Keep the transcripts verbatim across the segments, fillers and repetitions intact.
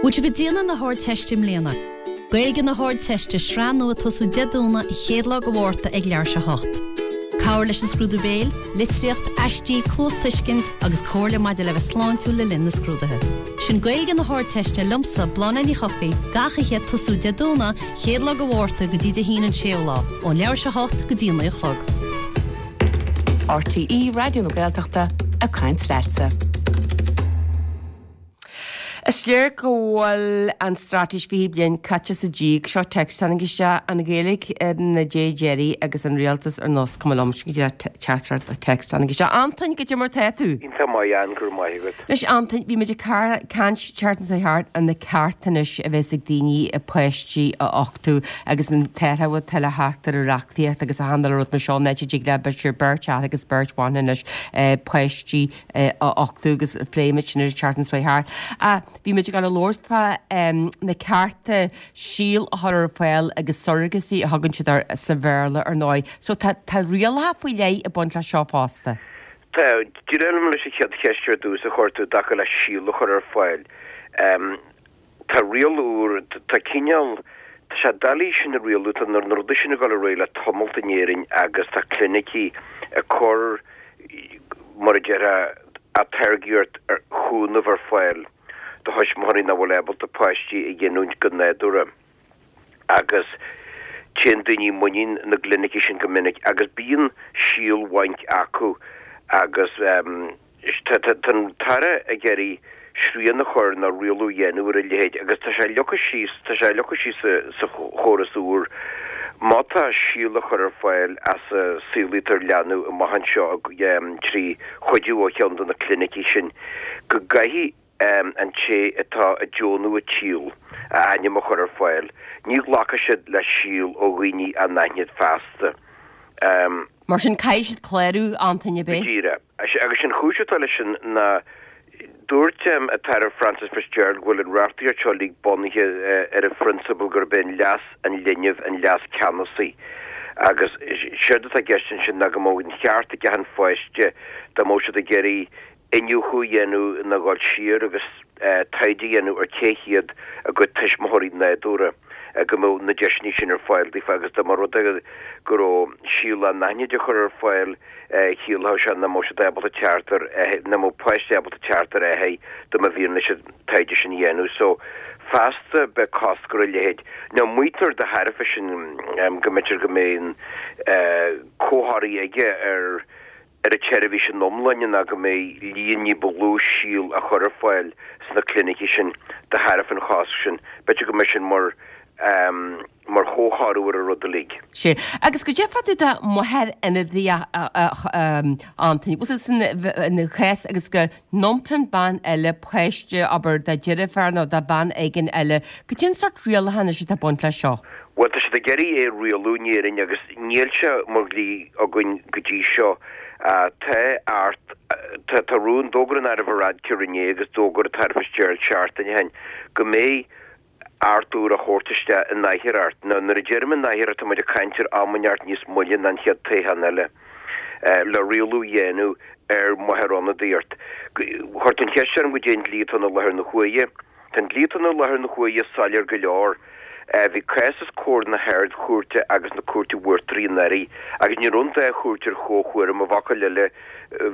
Bhfuil sibh ag déanamh na hArdteiste i mbliana. Gaeilge na hArdteiste sraith nua ag tosú Dé Domhnaigh an chéad lá de Mhárta ag leathuair tar éis a hocht. Cabhair leis an scrúdú béil, litríocht, aistí, cluastuiscint agus comhairle maidir le bheith sláintiúil le linn na scrúduithe. Sin Gaeilge na hArdteiste liomsa Bláthnaid Ní Chofaigh gach oíche ag tosú Dé Domhnaigh chéad lá de Mhárta go dtí Dé hAoine an séú lá, ón leathuair tar éis a hocht go dtí a naoi a chlog. RTÉ Raidió na Gaeltachta ag caint leatsa. Is léir go bhfuil an straitéis fiche bliain caite sa díog seo text tháinig isteach an Ghaeilge ar na dé deiridh agus an rialtas ar nós cuma liom sin teachtaireacht text tháinig isteach. Antain goidé mar tá tú. Iontach maith an gur maith agat. Anois Antain bhí muid ag caint seachtain seo thart ar na cearta anois a bheas ag daoine a páistí a uchtú agus an t-athrú atá le theacht ar an reachtaíocht agus a handle rud mar seo net dig le b'fhéidir beirt fhear agus beirt bhan anois páistí a uchtú agus phléigh muid sin ar an tseachtain seo thart. Bhí muid ag dul a labhairt fá na cearta síol a chur ar fáil agus surrogacy a thugann siad air sa Bhéarla ar ndóigh. So tá tá rialacha faoi leith ag baint le seo fosta. Tá díreach leis an chéad cheist ar dtús a chuir tú i dtaca le síol a chur ar fáil. Um, tá riail úr tá cineál Tá sé doiligh sin a rialú tá na rudaí sin ag dul ar aghaidh le tamalt in Éirinn agus tá clinicí ag cur mar a déarfá atáirgeacht ar chúnamh ar fáil do thuismitheoirí nach bhfuil ábalta páistí a ghiniúint go nádúrtha agus téann daoine muinín na gclinicí sin go minic agus bíonn síolbhainc acu agus um, tá an tAire ag iarraidh srian a chur nó rialú a dhéanamh ar a leithéid agus tá sé leagtha síos tá sé leagtha síos sa, sa chóras úr má tá síol a chur ar fáil as a saolaítear leanbh amach anseo um, trí chuidiú ó cheann de na clinicí sin go gcaithfidh um, an té atá ag deonú an tsíl a ainm a chur ar fáil. Ní ghlacfaidh siad le síol ó dhaoine anaithnid feasta. Um, Mar sin caithfidh siad clárú Antain bé. Díreach. Agus sin chúis atá leis sin ná dúirt um, an tAire Frances Fitzgerald go bhfuil an reachtaíocht seo uilig bunaithe uh, ar an phrionsabal gurb é leas an linbh an leas ceannasaí. Agus séard atá i gceist sin ná go mbeadh an ceart ag an pháiste dá mbeadh siad ag iarraidh iniúchadh a dhéanamh nó dul siar agus uh, taighde a dhéanamh ar cé hiad a gcuid tuismitheoirí nádúrtha go mbeadh na deiseanna sin ar fáil daofa agus dá mba rud é go raibh síol anaithnid á chur ar fáil chiallódh sé nach mbeadh siad ábalta teacht ar nach mbeadh páiste ábalta teacht ar é dá mba mhian leis an taighde sin a dhéanamh so feasta beidh cosc ar a leithéid. Now maítear de thairbhe sin um, go mb'fhéidir go mbeidh uh, comhthoradh aige ar ar an tseirbhís in iomláine ná go mbeidh líon ní ba lú síl a chur ar fáil sna clinicí sin de thairbhe an chosc sin, B'fhéidir go mbeidh sin mar um, mar chomhthoradh ar an rud uilig. Sé agus goidé fá dtaobh de máthair ionadaíoch Antain, Was san na chás agus go n-iompraíonn bean eile páiste abair dá deirfiúr nó dá bean éigin eile, goidé an sórt rialacha anois atá ag baint le seo. Well tá siad ag iarraidh é a rialú in Éirinn agus níl sé mar dhlí againn go dtí seo uh, tá art tá tá rún d'fhógair an Aire Varadkar inné agus d'fhógair an tAire Fitzgerald seachtain ó shin go mbeidh Acht úr á thabhairt isteach in athuair. Now nuair a deirim in athuair tá muid ag caint ar am inteacht níos moille ná an chéad toghchán eile. Uh, le rialú a dhéanamh ar mháthair-ionadaíocht. Chuir tú an cheist orm goidé an dlí atá i láthair na huaire. Tá an dlí atá i láthair na huaire soiléir go leor. Uh, bhí cás os comhair na hArd-Chúirte agus na Cúirte Uachtaraí anuraidh, agus ní raibh an dá chúirt ar chomhthuairim i bhfocail eile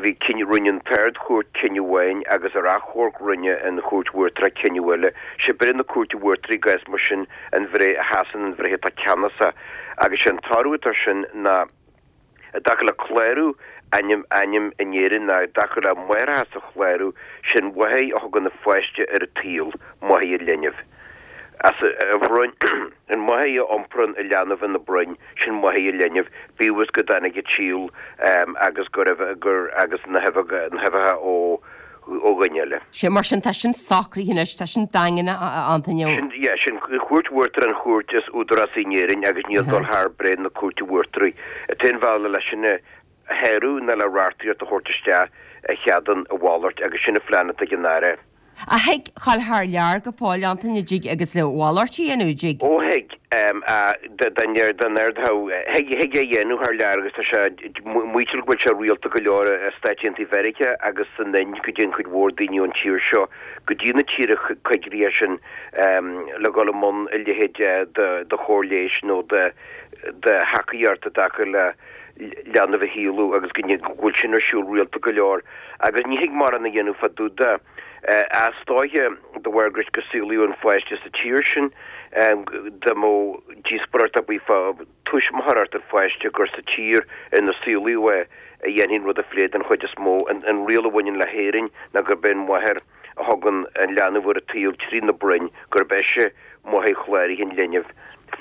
bhí cinneadh rinne an tArd-Chúirt cinneadh amháin agus ar achomharc rinne an Chúirt Uachtarach cinneadh eile. Sé breith na Cúirte Uachtaraí i gcás mar sin an bhreith a sheasann an bhreith atá ceannasach agus sé an toradh atá sin ná i dtaca le clárú ainm ainm in Éirinn ná i dtaca le máithreachas a chlárú sin máthair a thugann an pháiste ar an tsaol máthair an linbh. As a bhroinn an máthair a iomparann an leanbh ina broinn sin máthair an linbh, bíodh is go dtáinig an tsíol um, agus gur gur agus na huibheacha ó ó dhuine eile. Sé mar sin tá sin socraithe anois tá sin daingean Antain Sin yeah, sin Chúirt Uachtarach an chúirt is údarásaí in Éirinn agus níl dul thar breith na Cúirte Uachtaraí. An t-aon bhealach leis sin a shárú ná le reachtaíocht a thabhairt isteach a cheadaíonn a mhalairt agus sin an plean atá ag an Aire. A thig dhul thar lear go fóill, Antaine, dtig agus a mhalairt a dhéanamh, dtig? Ó thig, den thig thig é dhéanamh thar lear agus tá sé maítear go bhfuil sé rialta go leor i Stáit Aontaithe Mheiriceá agus san Ind go dtéann cuid mhór daoine ón tír seo go dtí na tíortha coigríche sin le dhul i mbun a leithéid de chóir leighis nó de de thacaíocht i dtaca le leanbh a shaolú agus go bhfuil sin ar siúl rialta go leor agus ní thig mórán a dhéanamh fá dtaobh de. Is dóiche de bharr gur go saolaíodh an pháiste sa tír sin dá mbeadh díospóireacht ar bith fá tuismitheoireacht an pháiste gur sa tír ina saolaíodh é a dhéanfaí an rud a phlé den chuid is mó. An riail a bhaineann le hÉirinn ná gurb é an mháthair a thugann an leanbh ar an tsaol trí na broinn, gurb ise máthair chláraithe an linbh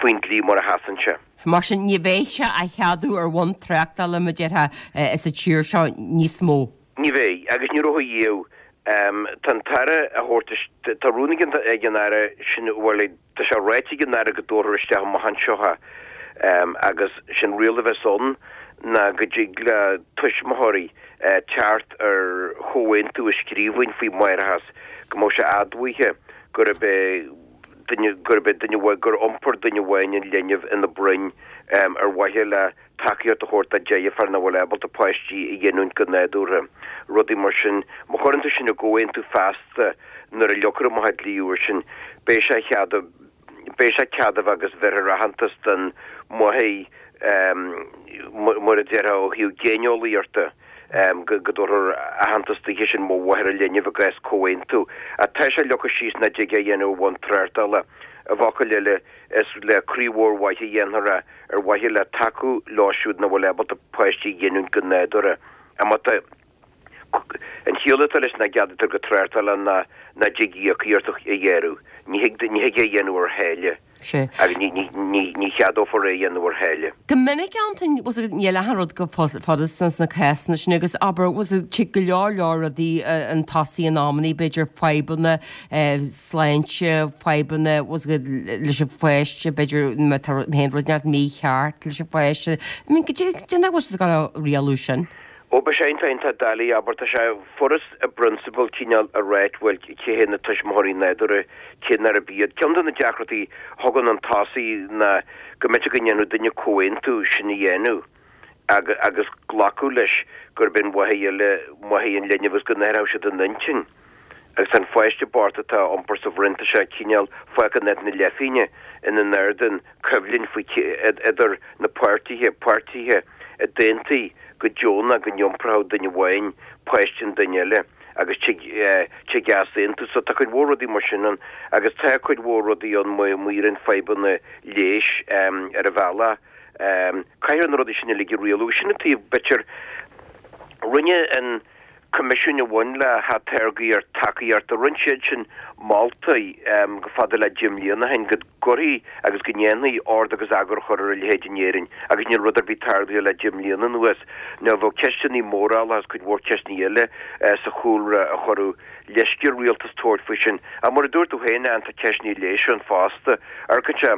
faoin dlí mar a sheasann sé. Mar sin, ní bheidh sé á cheadú ar bhonn tráchtála, mar a déarfá, sa tír seo níos mó. Ní bheidh, agus ní raibh riamh. Tá an tAire a thabhairt, tá rún ag an Aire sin, bhuel, tá sé ráite ag an Aire go dtabharfar isteach amach anseo é agus sé'n riail a bheas ann ná go dtig le tuismitheoirí teacht ar chomhaontú i scríbhinn faoi mháithreachas, go mbeadh sé admhaithe gurb é duine, gurb é duine amháin, gur iompair duine amháin an linbh ina broinn ar mhaithe le tacaíocht a thabhairt dá deirfiúr nach bhfuil ábalta páistí a ghiniúint go nádúrtha, rudaí mar sin. Má chuireann tú sin i gcomhaontú feasta nuair a leagfar amach an dlí úr sin, beidh sé cead, beidh sé ceadmhach agus bheirfear aitheantas don mháthair, mar a déarfá ó thaobh géineolaíochta, go dtabharfar aitheantas daoithe sin mar mháthair an linbh i gcás comhaontú. Ach tá sé leagtha síos nach dtig é a dhéanamh ar bhonn tráchtála. I bhfocail eile, is le croí mhór mhaith a dhéanfar é, ar mhaithe le tacú leo siúd nach bhfuil ábalta páistí a ghiniúint go nádúrtha. Ach má tá an chiall atá leis nach gceadaítear go tráchtála ná nach dtig íocaíocht a ghearradh. Ní thig ní thig é a dhéanamh ar tháille. Sea. Agus ní ní ní ní cheadófar é a dhéanamh ar tháille. Go minic, Antain, bhfuil a fhios agat, níl achan rud chomh furasta sna cásanna sin agus abair, bhfuil a fhios agat, tig go leor leor rudaí chun tosaigh in amannaí, b'fhéidir fadhbanna sláinte, fadhbanna, bhfuil a fhios agat, leis an pháiste, b'fhéidir má tá aon rud inteacht mícheart leis an pháiste. I mean, goidé goidé nach bhfuil siad ag dul a rialú sin? Ó, beidh sé iontach iontach doiligh, abair, tá sé furast i bprionsabal cineál a ráit, bhuel, cé hé na tuismitheoirí nádúrtha, cé nárb iad. Ceann de na deacrachtaí a thagann chun tosaigh ná go mb'fhéidir go ndéanfadh duine comhaontú sin a dhéanamh agus glacadh leis gurb é an mháthair eile máthair an linbh agus go n-athródh siad a n-intinn. Agus an pháiste bocht atá á iompar sa bhroinn, tá sé cineál fágtha in áit na leithphingne ina n-ardan coimhlint faoi idir na páirtithe, páirtithe a d'aontaigh go deonach go n-iompródh duine amháin páiste an duine eile agus tig tig easaontú. So tá cuid mhór rudaí mar sin ann agus tá cuid mhór rudaí ann má éiríonn fadhbanna leighis ar an bhealach. Caithfear na rudaí sin uilig a rialú. Sin an taobh b'fhéidir rinne an Coimisiún a bhain le hatáirgeadh tacaíochta, rinne siad sin moltaí go fada le deich mbliana ó shin go gcuirfí agus go ndéanfaí ord agus eagar a chur ar a leithéid in Éirinn agus níl rud ar bith tarlaithe le deich mbliana anuas. Nó bheadh ceisteanna mórála agus cuid mhór ceisteanna eile sa chúlra a chuirfeadh leisce ar rialtas tabhairt faoi sin. Ach mar a dúirt tú féin, Ann, tá ceisteanna leighis ann fosta. Amharcann sé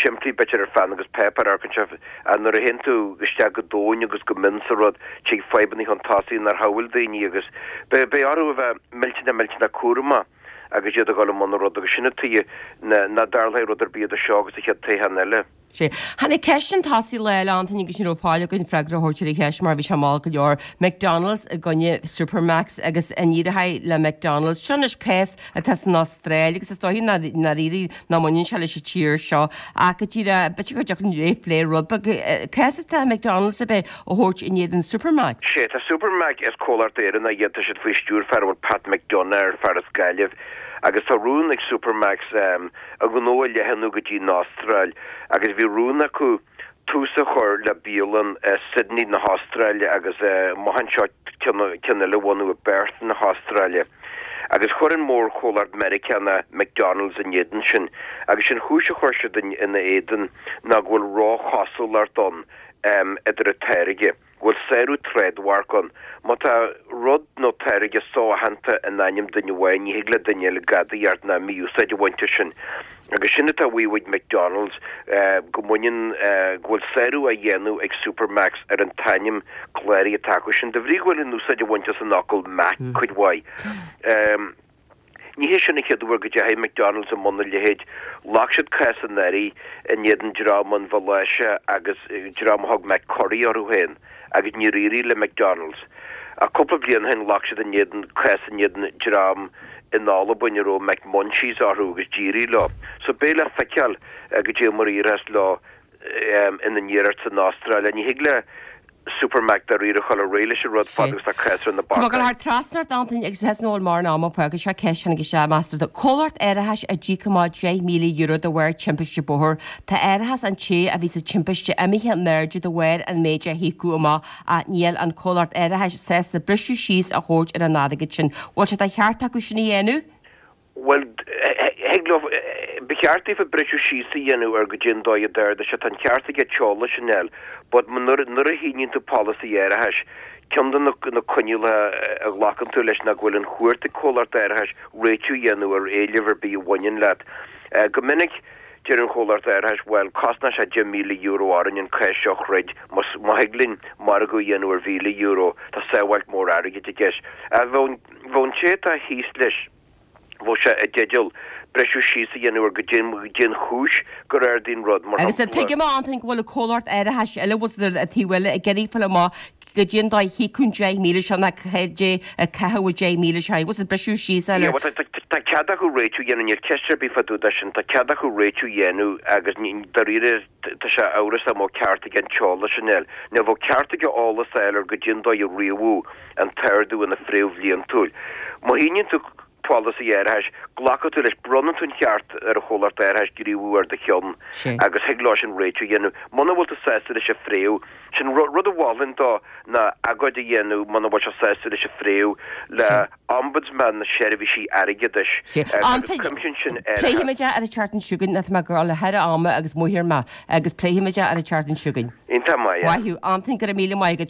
simplí b'fhéidir ar pheann agus páipéar, amharcann sé ach nuair a théann tú isteach go domhain agus go mion sa rud, tig fadhbanna chun tosaigh nár shamhail daoine agus beidh orthu a bheith millteanach millteanach cúramach agus iad ag dul i mbun an rud agus sin an tuige nach dtarlóidh rud ar bith idir seo agus an chéad toghchán eile. Sea. Tháinig ceist chun tosaigh lá eile, Antaine, agus ní raibh faill againn freagra a thabhairt ar an cheist mar bhí sé mall go leor. McDonald's i gcoinne Supermacs agus an éireoidh le McDonald's. Seo anois cás atá san Astráil agus is dóichí i ndáiríre nach mbaineann sé leis an tír seo ach go díreach, b'fhéidir go dtiocfadh linn plé rud beag. Cás atá McDonald's a bheith a thabhairt in éadan Supermacs. Sea, tá Supermac, is comhlacht Éireannach iad, tá siad faoi stiúir fear a bhfuil Pat McDonagh air, fear as Gaillimh, agus tá rún ag Supermacs a ngnó a leathnú go dtí an Astráil agus bhí rún acu tús a chur le bialann i Sydney na hAstráile agus amach anseo ceann eile a bhunú i bPerth na hAstráile. Agus chuir an mórchomhlacht Meiriceánach McDonald's in éadan sin agus sé'n chúis a chuir siad ina éadan ná go bhfuil róchosúlacht ann idir an táirge. go bhfuil sárú trádmhairc ann. Má tá rud nó táirge so-aitheanta in ainm duine amháin, ní thig le duine eile gadaíocht ná mí-úsáid a bhaint as sin. Agus sin atá á mhaíomh ag McDonald's, go mbaineann, go bhfuil sárú á dhéanamh ag Supermacs ar an t-ainm cláraithe atá acu sin, de bhrí go bhfuil an úsáid á bhaint as an fhocal Mac cuid mhaith. Ní hé sin an chéad uair go dteachaigh McDonald's i mbun a leithéid. Ghlac siad cás anuraidh in éadan dream ón Mhaláise agus dream a thug McCurry orthu féin agus níor éirigh le McDonald's. Ach cúpla bliain ó shin ghlac siad in éadan cás in éadan dream in Albain a raibh McMunchies orthu agus d'éirigh leo. So beidh le feiceáil goidé mar a éireos leo ina n-iarracht san Astráil. Ní thig le Supermac dáiríre a dhul ar aghaidh leis an rud fad agus tá cás ar na Tá mé ag bacáin. dul thar trasna ort Antaine agus theas nó mar an am agus seo ceist tháinig isteach meastar do comhlacht árachais a d'íoc amach deich míle euro de bharr timpiste bóthair. Tá árachas an té a bhí sa timpiste imithe in airde de bharr an méid a híocadh amach ach níl an comhlacht árachais sásta briseadh síos a thabhairt ar an airgead sin. Bhfuil sé de cheart acu sin a dhéanamh? Well, thig leo ba cheart daofa briseadh síos a dhéanamh ar goidé an dóigh a d'ardaigh sé, tá an ceart aige t-eolas sin a fháil, but nuair nuair a shíníonn tú polasaí árachais, ceann de na na coinníollacha a ghlacann tú leis ná go bhfuil an chúirt ag comhlacht árachais réitiú a dhéanamh ar éileamh ar bith a bhaineann leat. Go minic deir an chomhlacht árachais, bhuel, cosnóidh sé deich míle euro orainn an cás seo a throid, más má thig linn margadh a dhéanamh ar mhíle euro, tá sábháilt mór airgid i gceist. Bheadh bheadh an té atá thíos leis, bheadh sé i dteideal briseadh síos a dhéanamh ar goidé an chúis gur ardaigh an rud, mar Agus shampla. tuigim a Antaine go bhfuil an comhlacht árachais eile bhfuil siad ar taobh eile ag iarraidh fáil amach goidé an dóigh a híocadh an deich míle seo ná goidé a caitheadh an deich míle seo. Bhfuil siad briseadh síos Yeah, eile. well, tá tá- tá cead acu réitiú a dhéanamh, níl ceist ar bith fá dtaobh de sin, tá cead acu réitiú a dhéanamh agus ní- dáiríre tá sé amhrasach an mbeadh ceart aige an t-eolas sin a fháil. Nó bheadh ceart aige eolas a fháil ar goidé an dóigh a ríomhadh an t-ardú ina phréimh bhliantúil. Má shíníonn tú polasaí árachais, glacann tú leis, bronnann tú an ceart ar an chomhlacht árachais gníomhú ar do cheann Sé. agus thig leo sin réitiú a dhéanamh. Muna bhfuil tú sásta leis an phréimh, sin ru- rud a mholfainn dó ná agóid a dhéanamh muna bhfuil sé sásta leis an phréimh le Sé. Ombudsman na seirbhísí airgeadais Sé. eh, agus Antaine, cuimsíonn sin árachas. Pléifimid é ar an tseachtain seo chugainn, tá mé ag dul thar am agus mothair maith agus pléifimid é ar an tseachtain seo chugainn. Iontach maith. Maith thú, Antaine go raibh míle maith agat.